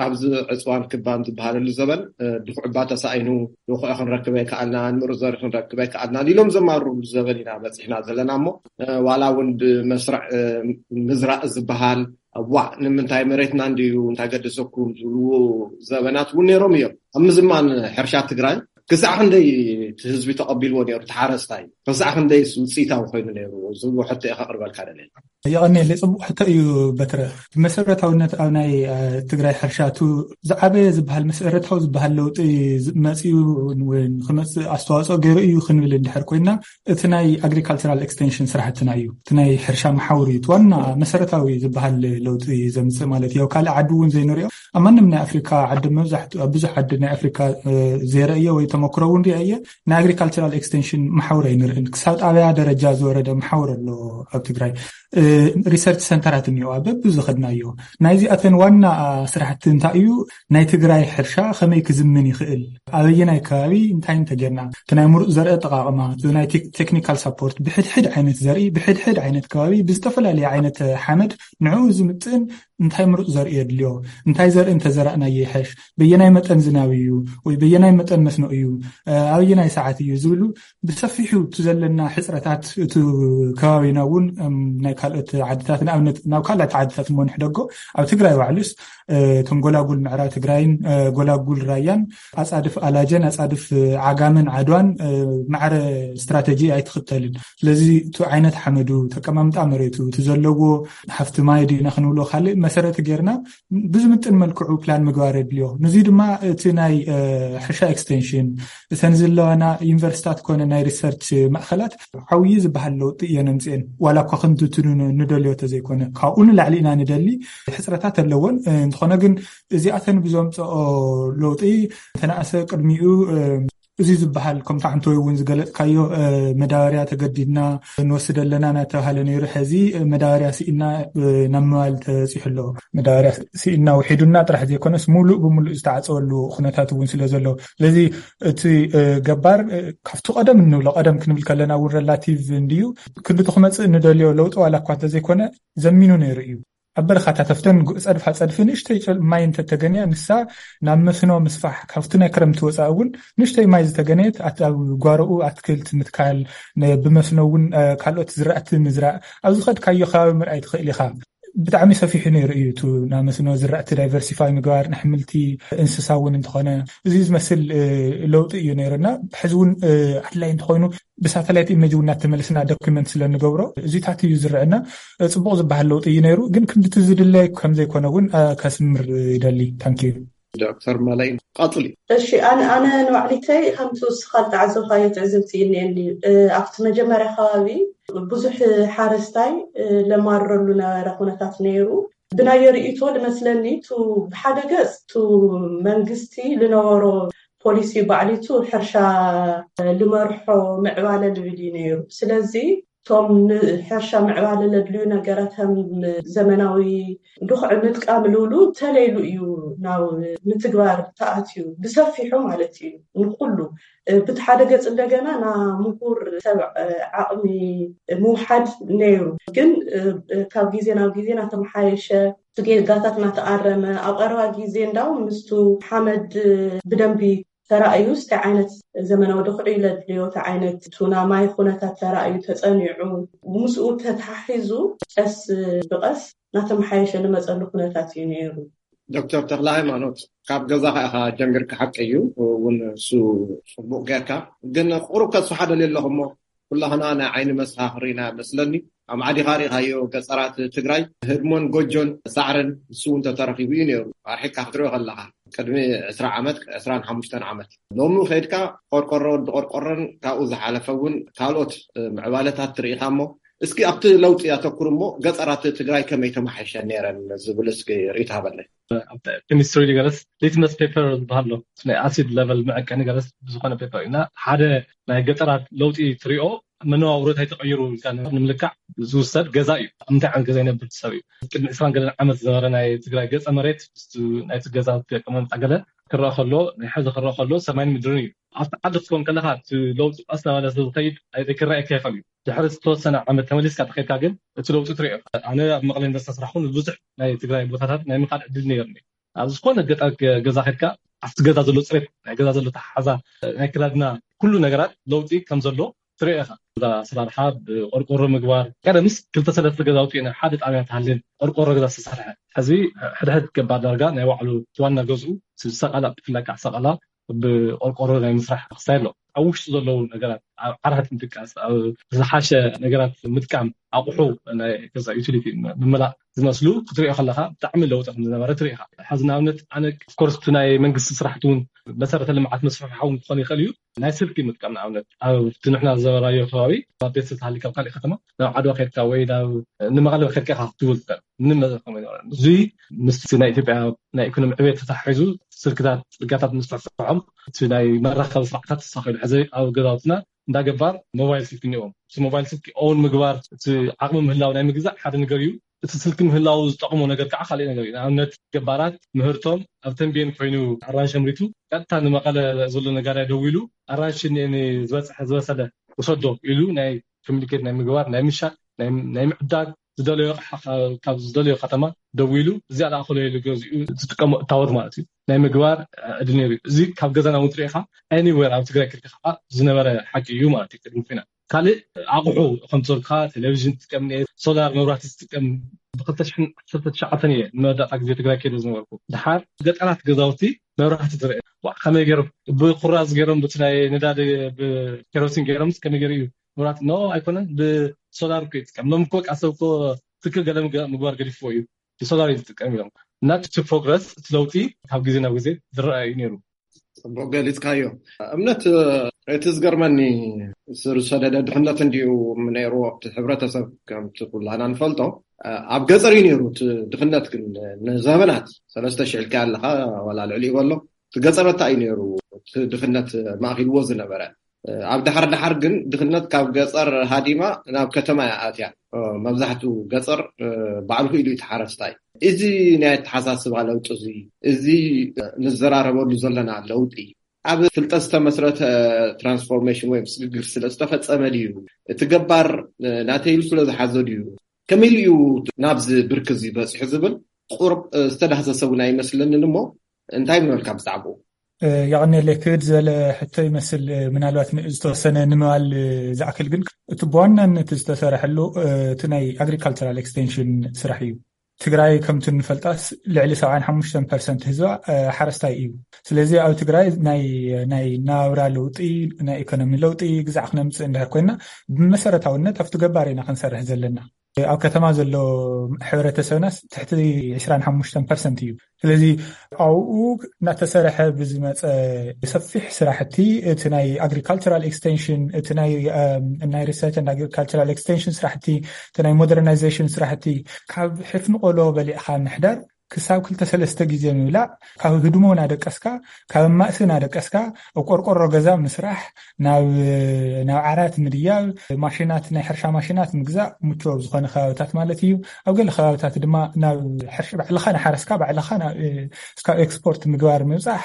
ኣብዚ ዕፅዋን ክባን ዝበሃለሉ ዘበን ድኹዕባ ተሳኢኑ፣ ድኹዒ ክንረክብ ኣይከኣልናን፣ ምሩፅ ዘርኢ ክንረክብ ኣይከኣልናን ኢሎም ዘማርሩሉ ዘበን ኢና በፂሕና ዘለና። እሞ ዋላ እውን ብመስርዕ ምዝራእ ዝበሃል፣ እዋእ ንምንታይ መሬትና እንድዩ እንታይ ገደሰኩም ዝብልዎ ዘበናት እውን ነይሮም እዮም። ኣብ ምዝማን ሕርሻ ትግራይ ክሳዕ ክንደይ እቲ ህዝቢ ተቐቢልዎ ነይሩ፣ እቲ ሓረስታይ ክሳዕ ክንደይ ውፅኢታዊ ኮይኑ ነይሩ ዝብሎ ሕቶ እየ ከቕርበልካ ደልየ። የቐንየለይ፣ ፅቡቕ ሕቶ እዩ በትረ። ብመሰረታዊነት ኣብ ናይ ትግራይ ሕርሻ እቲ ዝዓበየ ዝበሃል መሰረታዊ ዝበሃል ለውጢ መፅኡ ወይ ንክመፅእ ኣስተዋፅኦ ገይሩ እዩ ክንብል እንድሕር ኮይና፣ እቲ ናይ ኣግሪካልቸራል ኤክስቴንሽን ስራሕትና እዩ። እቲ ናይ ሕርሻ መሓውር እዩ እቲ ዋና መሰረታዊ ዝበሃል ለውጢ ዘምፅእ ማለት እዩ። ኣብ ካልእ ዓዲ እውን ዘይንሪኦ፣ ኣብ ማንም ናይ ኣፍሪካ ዓዲ፣ መብዛሕትኡ ኣብ ብዙሕ ዓዲ ናይ ኣፍሪካ ዘይረእዮ ወይ ተመክሮ እውን ሪአ እየ። ናይ ኣግሪካልቸራል ኤክስቴንሽን መሓውር ኣይንርእን። ክሳብ ጣብያ ደረጃ ዝወረደ መሓውር ኣሎ ኣብ ትግራይ። ሪሰርች ሰንተራት እኒኦ ኣብ በብዝኸድናዮ። ናይዚኣተን ዋና ስራሕቲ እንታይ እዩ? ናይ ትግራይ ሕርሻ ከመይ ክዝምን ይኽእል፣ ኣበየናይ ከባቢ እንታይ እንተጌርና፣ እቲ ናይ ምሩፅ ዘርኢ ኣጠቃቕማ፣ እቲ ናይ ቴክኒካል ሳፖርት፣ ብሕድሕድ ዓይነት ዘርኢ ብሕድሕድ ዓይነት ከባቢ ብዝተፈላለየ ዓይነት ሓመድ ንዕኡ ዝምጥን እንታይ ምሩፅ ዘርኢ የድልዮ፣ እንታይ ዘርኢ እንተዘራእና ይሕሽ፣ በየናይ መጠን ዝናብ እዩ ወይ በየናይ መጠን መስኖ እዩ፣ ኣበየናይ ሰዓት እዩ ዝብሉ ብሰፊሑ እቲ ዘለና ሕፅረታት፣ እቲ ከባቢና እውን ናይ ካልኦት ዓድታት ንኣብነት ናብ ካልኦት ዓድታት እሞ ንሕደጎ ኣብ ትግራይ ባዕሉስ እቶም ጎላጉል ምዕራብ ትግራይን ጎላጉል ራያን ኣፃድፍ ኣላጀን ኣፃድፍ ዓጋመን ዓድዋን ማዕረ ስትራተጂ ኣይትኽተልን። ስለዚ እቲ ዓይነት ሓመዱ፣ ተቀማምጣ መሬቱ፣ እቲ ዘለዎ ሃፍቲ ማይ ድና ክንብሎ ካልእ መሰረት ጌርና ብዝምጥን መልክዑ ፕላን ምግባር የድልዮ። ንዚ ድማ እቲ ናይ ሕርሻ ኤክስቴንሽን እተን ዘለዋና ዩኒቨርሲታት ኮነ ናይ ሪሰርች ማእኸላት ዓብዪ ዝበሃል ለውጢ እየን ኣምፅኤን። ዋላ እኳ ክንትትኑ ንደልዮ ተዘይኮነ ካብኡ ንላዕሊ ኢና ንደሊ። ሕፅረታት ኣለዎን እንተኾነ ግን እዚኣተን ብዘምፅኦ ለውጢ ተናእሰ ቅድሚኡ እዚ ዝበሃል ከምቲ ሓንቲ ወይ እውን ዝገለጽካዮ መዳበርያ ተገዲድና ንወስድ ኣለና እናተባሃለ ነይሩ። ሕዚ መዳበርያ ስኢና ናብ ምባል ተበፂሑ ኣሎ። መዳበርያ ስኢና ውሒዱና ጥራሕ ዘይኮነስ ሙሉእ ብሙሉእ ዝተዓፀወሉ ኩነታት እውን ስለ ዘሎ፣ ስለዚ እቲ ገባር ካብቲ ቀደም እንብሎ፣ ቀደም ክንብል ከለና እውን ረላቲቭ እንድዩ፣ ክንድቲ ክመፅእ እንደልዮ ለውጢ ዋላ እኳ እንተዘይኮነ ዘሚኑ ነይሩ እዩ። ኣብ በረኻታት ኣብተን ጸድፋ ጸድፊ ንእሽተይ ማይ እንተተገንያ ንሳ ናብ መስኖ ምስፋሕ፣ ካብቲ ናይ ክረምቲ ወፃኢ እውን ንእሽተይ ማይ ዝተገነየት ኣብ ጓሮኡ ኣትክልት ምትካል፣ ብመስኖ እውን ካልኦት ዝራእቲ ምዝራእ፣ ኣብ ዝኸድካዮ ከባቢ ምርኣይ ትኽእል ኢኻ። ብጣዕሚ ሰፊሑ ነይሩ እዩ። እቲ ናብ መስኖ ዝራእቲ ዳይቨርሲፋይ ምግባር፣ ንሕምልቲ፣ እንስሳ እውን እንተኾነ እዚ ዝመስል ለውጢ እዩ ነይሩና። ሕዚ እውን ኣድላይ እንተኾይኑ ብሳተላይት ኢሜጅ እውን እናተመለስና ዶኪመንት ስለ ንገብሮ እዚታት እዩ ዝረአና። ጽቡቕ ዝበሃል ለውጢ እዩ ነይሩ፣ ግን ክንድቲ ዝድለ ከም ዘይኮነ እውን ከስምር ይደሊ። ታንኪዩ። ዶክተር መለይ ቀፅሊ። እሺ፣ ኣነ ኣነ ንባዕሊተይ ከምቲ እስኻ ዝተዓዘብካዮ ትዕዝብቲ እኒአኒ። ኣብቲ መጀመርያ ከባቢ ብዙሕ ሓረስታይ ለማረሉ ነበረ ኩነታት ነይሩ። ብናየ ርእይቶ ልመስለኒ ቱ ብሓደ ገፅ ቱ መንግስቲ ልነበሮ ፖሊሲ ባዕሊቱ ሕርሻ ልመርሖ ምዕባለ ልብል እዩ ነይሩ። ስለዚ እቶም ንሕርሻ ምዕባለ ለድልዩ ነገራት ከም ዘመናዊ ድኹዒ ምጥቃም ልብሉ ተለይሉ እዩ ናብ ምትግባር ተኣትዩ ብሰፊሑ ማለት እዩ። ንኩሉ ብቲ ሓደ ገፅ እንደገና ና ምሁር ሰብ ዓቕሚ ምውሓድ ነይሩ። ግን ካብ ግዜ ናብ ግዜ ናተመሓየሸ፣ እቲ ጌጋታት ናተኣረመ፣ ኣብ ቀረባ ግዜ እንዳው ምስቱ ሓመድ ብደንቢ ተራእዩ፣ እንታይ ዓይነት ዘመናዊ ድኹዒ ለድልዮ፣ እንታይ ዓይነት ቱና ማይ ኩነታት ተራእዩ ተፀኒዑ፣ ምስኡ ተተሓሒዙ ቀስ ብቐስ ናተመሓየሸ ልመፀሉ ኩነታት እዩ ነይሩ። ዶክተር ተክለ ሃይማኖት፣ ካብ ገዛኻ ኢኻ ጀሚርካ፣ ሓቂ እዩ እውን እሱ ጽቡቕ ጌርካ፣ ግን ቁሩብ ከስፍሓ ደልየ ኣለኹ እሞ ኩላኽና ናይ ዓይኒ መሰኻኽር ኢና መስለኒ። ኣብ ዓዲኻ ርኢኻዮ ገጸራት ትግራይ ህድሞን ጎጆን ሳዕርን ንሱ እውን ተተረኺቡ እዩ ነይሩ። ኣርሒቕካ ክትሪኦ ከለኻ ቅድሚ ዕስራ ዓመት፣ ዕስራን ሓሙሽተን ዓመት። ሎሚ ከይድካ ቆርቆሮ ወዲ ቆርቆሮን ካብኡ ዝሓለፈ እውን ካልኦት ምዕባለታት ትርኢኻ እሞ እስኪ ኣብቲ ለውጢ ኣተኩር እሞ ገጸራት ትግራይ ከመይ ተማሓይሸ ነይረን ዝብል እስኪ ርእይቶ ሃበለይ። ኣብ ኬሚስትሪ ገለስ ሊትመስ ፔፐር ዝበሃል ኣሎ፣ ናይ ኣሲድ ለቨል መዐቀኒ ገለስ ብዝኾነ ፔፐር እዩ። እና ሓደ ናይ ገጠራት ለውጢ ትሪኦ መነባብሮ እንታይ ተቐይሩ ኢልካ ንምልካዕ ዝውሰድ ገዛ እዩ። ኣብ እንታይ ዓይነት ገዛ ይነብር ሰብ እዩ? ቅድሚ ዕስራን ገለን ዓመት ዝነበረ ናይ ትግራይ ገፀ መሬት ምስቲ ናይቲ ገዛ ኣቀማምጣ ገለ ክረአ ከሎ፣ ናይ ሕዚ ክረአ ከሎ ሰማይን ምድርን እዩ። ኣብቲ ዓዲ ክትኮን ከለኻ እቲ ለውጢ ቀስ እናበለ ስለ ዝኸይድ ኣይ- ክረኣየካ ይኽእል እዩ። ድሕሪ ዝተወሰነ ዓመት ተመሊስካ ተኸድካ ግን እቲ ለውጢ ትሪኦ። ኣነ ኣብ መቐለ ዩኒቨርሲቲ ስራሕኩ ንብዙሕ ናይ ትግራይ ቦታታት ናይ ምኻድ ዕድል ነይርኒ። ኣብ ዝኾነ ገጠር ገ- ገዛ ከድካ ኣብቲ ገዛ ዘሎ ፅሬት፣ ናይ ገዛ ዘሎ ተሓሓዛ፣ ናይ ክዳድና ኩሉ ነገራት ለውጢ ከም ዘሎ ትሪኦ ኢኻ። ገዛ ኣሰራርሓ ብቆርቆሮ ምግባር፣ ቀደምስ ክልተ ሰለስተ ገዛውቲ ኢና ሓደ ጣብያ ትሃልን ቆርቆሮ ገዛ ዝተሰርሐ። ሕዚ ሕድሕድ ገባር ዳርጋ ናይ ባዕሉ ዋና ገዝኡ ስሳቃላ ብፍላይ ከዓ ሳቃላ ብቆርቆሮ ናይ ምስራሕ ክስታይ ኣሎ። ኣብ ውሽጡ ዘለዉ ነገራት ኣብ ዓራት ምድቃስ፣ ኣብ ዝሓሸ ነገራት ምጥቃም፣ ኣቑሑ ናይ ገዛ ዩቲሊቲ ምምላእ ዝመስሉ ክትሪኦ ከለካ ብጣዕሚ ለውጢ ከም ዝነበረ ትርኢ ኢኻ። ሕዚ ንኣብነት ኣነ ኦፍኮርስ እቲ ናይ መንግስቲ ስራሕቲ እውን መሰረተ ልምዓት መስፋሕፋሒ እውን ክኾን ይኽእል እዩ። ናይ ስልኪ ምጥቃም ንኣብነት ኣብቲ ንሕና ዝነበርናዮ ከባቢ ኣብ ቤት ተሃሊካ ኣብ ካሊእ ከተማ ናብ ዓድዋ ከድካ ወይ ናብ ንመቐለ ከድካ ኢኻ ክትብል ትኽእል። ምንም መዘከም ኣይነበረን። እዚ ምስቲ ናይ ኢትዮጵያ ናይ ኢኮኖሚ ዕቤት ተተሓሒዙ ስልክታት ፅርጋታት ምስፍሕፍሖም እቲ ናይ መራኸቢ ስርዓታት ተሳኺሉ። ሕዚ ኣብ ገዛውትና እንዳ ገባር ሞባይል ስልኪ እኒኦም። እቲ ሞባይል ስልኪ ኦን ምግባር፣ እቲ ዓቕሚ ምህላው ናይ ምግዛእ ሓደ ነገር እዩ። እቲ ስልኪ ምህላው ዝጠቕሞ ነገር ከዓ ካልእ ነገር እዩ። ንኣብነት ገባራት ምህርቶም ኣብ ተንቤን ኮይኑ ኣራንሺ ኣምሪቱ ቀጥታ ንመቐለ ዘሎ ነጋዳይ ደዊሉ ኣራንሺ እኒአኒ ዝበፅሐ ዝበሰለ ውሰዶ ኢሉ ናይ ኮሚኒኬት ናይ ምግባር ናይ ምሻጥ ናይ ናይ ምዕዳግ ዝደለዮ ኣቕሓ ካብ ዝደለዮ ከተማ ደዊሉ እዚኣ ለኣኸሎ ኢሉ ገዚኡ ዝጥቀሞ እታወት ማለት እዩ ናይ ምግባር ዕድል ነይሩ እዩ። እዚ ካብ ገዛና እውን ትሪኢኻ ኤኒዌር ኣብ ትግራይ ክልተ ከዓ ዝነበረ ሓቂ እዩ ማለት እዩ። ቅድሚ ኩናት ካልእ ኣቑሑ ከምቲ ዘልካ ቴሌቪዥን ትጥቀም፣ ሶላር መብራህቲ ትጥቀም። ብክልተ ሽሕን ዓሰርተ ትሽዓተን እየ ንመወዳእታ ግዜ ትግራይ ከይደ ዝነበርኩ። ድሓር ገጠራት ገዛውቲ መብራህቲ ትርኢ ከመይ ገይሮም ብኩራዝ ገይሮም ብቲ ናይ ነዳዲ ብኬሮሲን ገይሮም ከመይ ገይሩ እዩ መብራህቲ ኖ ኣይኮነን ብሶላር እኮ ይጥቀም። ሎም እኮ ቃሰብ እኮ ትክል ገለ ምግባር ገዲፍዎ እዩ ብሶላር እዩ ዝጥቀም ኢሎም እና እቲ ፕሮግረስ እቲ ለውጢ ካብ ግዜ ናብ ግዜ ዝረአ እዩ ነይሩ። ፅቡቅ ገሊፅካዮ። እምነት እቲ ዝገርመኒ ስር ዝሰደደ ድኽነት እንዲዩ ነይሩ ኣብቲ ሕብረተሰብ ከምቲ ኩላና ንፈልጦ ኣብ ገፀር እዩ ነይሩ እቲ ድኽነት ግን ንዘበናት ሰለስተ ሽሕ ኢልካ ኣለካ ዋላ ልዕሊ ይበሎ እቲ ገጸረታ እዩ ነይሩ፣ እቲ ድኽነት ማእኪልዎ ዝነበረ። ኣብ ዳሕር ዳሕር ግን ድኽነት ካብ ገጸር ሃዲማ ናብ ከተማ እያ ኣትያ። መብዛሕትኡ ገጸር ባዕሉ ክኢሉ እዩ፣ ተሓረስታይ። እዚ ናይ ኣተሓሳስባ ለውጢ፣ እዚ እዚ ንዘራረበሉ ዘለና ለውጢ ኣብ ፍልጠት ዝተመስረተ ትራንስፎርሜሽን ወይ ስግግር ስለ ዝተፈጸመ ድዩ? እቲ ገባር ናተይ ኢሉ ስለ ዝሓዞ ድዩ? ከመይ ኢሉ እዩ ናብዚ ብርኪ እዚ በጺሑ ዝብል ቁሩብ ዝተዳህሰሰ እውን ኣይመስለንን። እሞ እንታይ ምበልካ ብዛዕባኡ? የቐንየለይ። ክብድ ዝበለ ሕቶ ይመስል። ምናልባት ን-፣ ዝተወሰነ ንምባል ዝኣክል ግን፣ እቲ ብዋናነት ዝተሰርሐሉ እቲ ናይ ኣግሪካልቸራል ኤክስቴንሽን ስራሕ እዩ። ትግራይ ከምቲ ንፈልጣስ ልዕሊ ሰብዓን ሓሙሽተን ፐርሰንት ህዝባ ሓረስታይ እዩ። ስለዚ ኣብ ትግራይ ናይ ናይ ናብራ ለውጢ፣ ናይ ኢኮኖሚ ለውጢ ግዛዕ ክነምፅእ እንድሕር ኮይና፣ ብመሰረታውነት ኣብቲ ገባር ኢና ክንሰርሕ ዘለና። ኣብ ከተማ ዘሎ ሕብረተሰብናስ ትሕቲ ዕስራን ሓሙሽተን ፐርሰንት እዩ። ስለዚ ኣብኡ እናተሰረሐ ብዝመፀ ሰፊሕ ስራሕቲ፣ እቲ ናይ ኣግሪካልቸራል ኤክስቴንሽን፣ እቲ ናይ ናይ ሪሰርች ኤንድ ኣግሪካልቸራል ኤክስቴንሽን ስራሕቲ፣ እቲ ናይ ሞደርናይዜሽን ስራሕቲ፣ ካብ ሕፍኒ ቆሎ በሊዕካ ምሕዳር ክሳብ ክልተ ሰለስተ ግዜ ምብላዕ፣ ካብ ህድሞ ናደቀስካ፣ ካብ ማእሲ ናደቀስካ፣ ኣብ ቆርቆሮ ገዛ ምስራሕ፣ ናብ ናብ ዓራት ምድያብ፣ ማሽናት፣ ናይ ሕርሻ ማሽናት ምግዛእ፣ ምቹው ኣብ ዝኾነ ከባብታት ማለት እዩ። ኣብ ገለ ከባብታት ድማ ናብ ሕርሻ ባዕልኻ ንሓረስካ ባዕልኻ ናብ እስካብ ኤክስፖርት ምግባር ምብፃሕ፣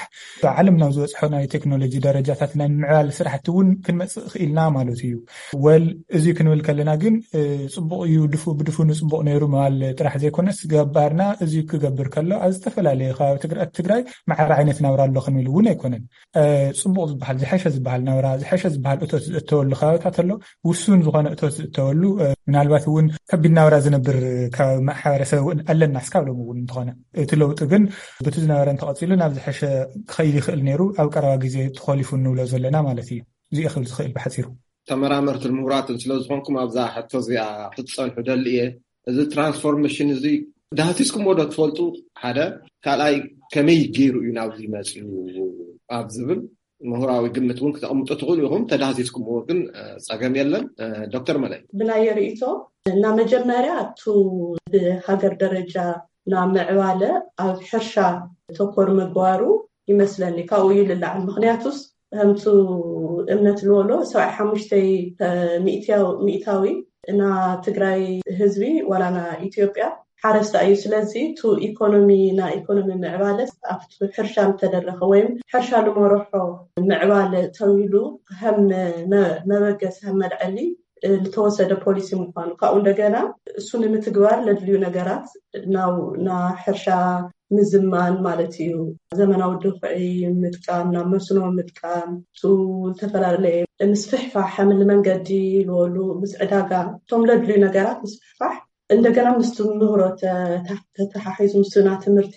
ዓለም ናብ ዝበፅሖ ናይ ቴክኖሎጂ ደረጃታት ናይ ምዕባል ስራሕቲ እውን ክንመፅእ ክኢልና ማለት እዩ። ወል እዚ ክንብል ከለና ግን ፅቡቕ እዩ፣ ድፉ ብድፉ ንፅቡቕ ነይሩ ምባል ጥራሕ ዘይኮነስ፣ ገባርና እዚ ክገብር ከሎ ኣብ ዝተፈላለየ ከባቢ ትግራይ ማዕረ ዓይነት ናብራ ኣሎ ክንብል እውን ኣይኮነን። ፅቡቕ ዝበሃል፣ ዝሐሸ ዝበሃል ናብራ፣ ዝሐሸ ዝበሃል እቶት ዝእተወሉ ከባብታት ኣሎ። ውሱን ዝኾነ እቶት ዝእተወሉ፣ ምናልባት እውን ከቢድ ናብራ ዝነብር ካብ ማሕበረሰብ እውን ኣለና እስካብ ሎሚ እውን እንተኾነ፣ እቲ ለውጢ ግን በቲ ዝነበረ እንተቐፂሉ ናብ ዝሐሸ ክኸይድ ይኽእል ነይሩ፣ ኣብ ቀረባ ግዜ ተኾሊፉ እንብሎ ዘለና ማለት እዩ። እዚኦ ክብል ዝኽእል ብሓፂሩ። ተመራመርትን ምሁራትን ስለ ዝኾንኩም ኣብዛ ሕቶ እዚኣ ክትፀንሑ ደሊ እየ። እዚ ትራንስፎርሜሽን እዚ ዳህሲስኩምዎ ዶ ትፈልጡ? ሓደ። ካልኣይ፣ ከመይ ገይሩ እዩ ናብዚ መፅኡ ኣብ ዝብል ምሁራዊ ግምት እውን ክተቕምጡ ትኽእሉ ኢኹም። ተዳህሲስኩምዎ ግን ፀገም የለን። ዶክተር መለይ፣ ብናየ ርእይቶ፣ እና መጀመርያ እቱ ብሃገር ደረጃ ናብ ምዕባለ ኣብ ሕርሻ ተኮር ምግባሩ ይመስለኒ ካብኡ እዩ ልላዓል። ምክንያቱስ ከምቱ እምነት ልወሎ ሰብዓይ ሓሙሽተ ሚእታዊ እና ትግራይ ህዝቢ ዋላ ና ኢትዮጵያ ሓረስታ እዩ። ስለዚ ቱ ኢኮኖሚ ና ኢኮኖሚ ምዕባለ ኣብቲ ሕርሻ ምተደረኸ ወይም ሕርሻ ልመረሖ ምዕባለ ተዊሉ ከም መበገስ ከም መልዐሊ ልተወሰደ ፖሊሲ ምኳኑ፣ ካብኡ እንደገና እሱ ንምትግባር ለድልዩ ነገራት ናብ ና ሕርሻ ምዝማን ማለት እዩ። ዘመናዊ ድኹዒ ምጥቃም፣ ናብ መስኖ ምጥቃም፣ እሱ ዝተፈላለየ ምስፍሕፋሕ ሓምል መንገዲ ልበሉ ምስ ዕዳጋ እቶም ለድልዩ ነገራት ምስፍሕፋሕ እንደገና ምስቲ ምህሮ ተተሓሒዙ ምስና ትምህርቲ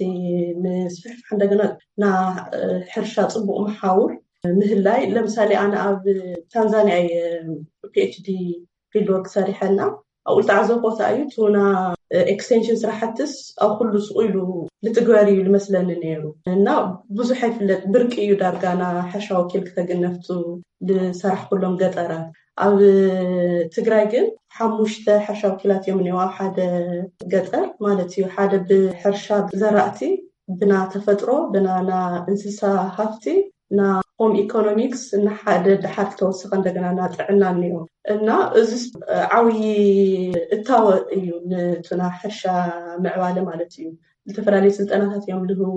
ምስፍሕፋሕ እንደገና ና ሕርሻ ፅቡቕ መሓውር ምህላይ። ለምሳሌ ኣነ ኣብ ታንዛኒያ እየ ፒኤችዲ ፊልድ ወርክ ሰሪሐና ኣብኡ ልተዓዘብኮ እንታይ እዩ ቱና ኤክስቴንሽን ስራሕትስ ኣብ ኩሉ ስቑ ኢሉ ልትግበር እዩ ልመስለኒ ነይሩ እና ብዙሕ ኣይፍለጥ ብርቂ እዩ ዳርጋና ሕርሻ ወኪል ክተግነፍቱ ልሰራሕ ኩሎም ገጠራት ኣብ ትግራይ ግን ሓሙሽተ ሕርሻ ወኪላት እዮም እኒው ኣብ ሓደ ገጠር ማለት እዩ ሓደ ብሕርሻ ዘራእቲ ብና ተፈጥሮ ብናና እንስሳ ሃፍቲ ና ሆም ኢኮኖሚክስ ንሓደ ድሓር ተወሰኸ እንደገና ና ጥዕና እኒኦ እና እዚ ዓብዪ እታወ እዩ ንቱና ሕርሻ ምዕባለ ማለት እዩ። ዝተፈላለዩ ስልጠናታት እዮም ልህቡ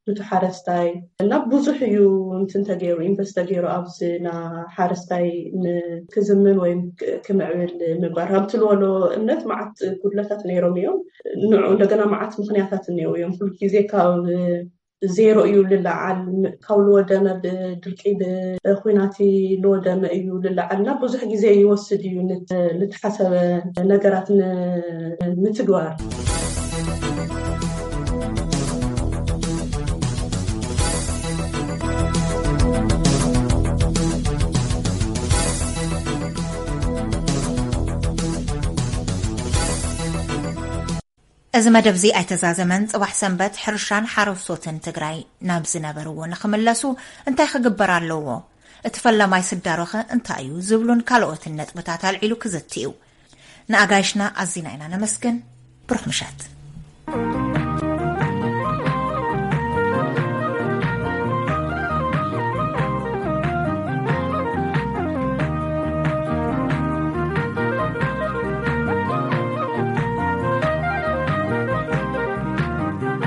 ንቱ ሓረስታይ እና ብዙሕ እዩ እንትን ተገይሩ ኢንቨስት ተገይሩ ኣብዚ ና ሓረስታይ ክዝምን ወይም ክምዕብል ምግባር ከምቲ ልበሎ እምነት መዓት ጉድለታት ነይሮም እዮም። ንዑ እንደገና መዓት ምክንያታት እኒው እዮም ኩሉ ግዜ ካብ ዜሮ እዩ ልለዓል ካብ ልወደመ ብድርቂ ብኩናት ልወደመ እዩ ልለዓል እና ብዙሕ ግዜ ይወስድ እዩ ልተሓሰበ ነገራት ንምትግባር። እዚ መደብ እዚ ኣይተዛዘመን። ጽባሕ ሰንበት ሕርሻን ሓረስቶትን ትግራይ ናብ ዝነበርዎ ንኽምለሱ እንታይ ክግበር ኣለዎ? እቲ ፈላማይ ስዳሮኸ እንታይ እዩ? ዝብሉን ካልኦትን ነጥብታት ኣልዒሉ ክዝቲ እዩ። ንኣጋይሽና ኣዚና ኢና ነመስግን። ብሩኽ ምሸት።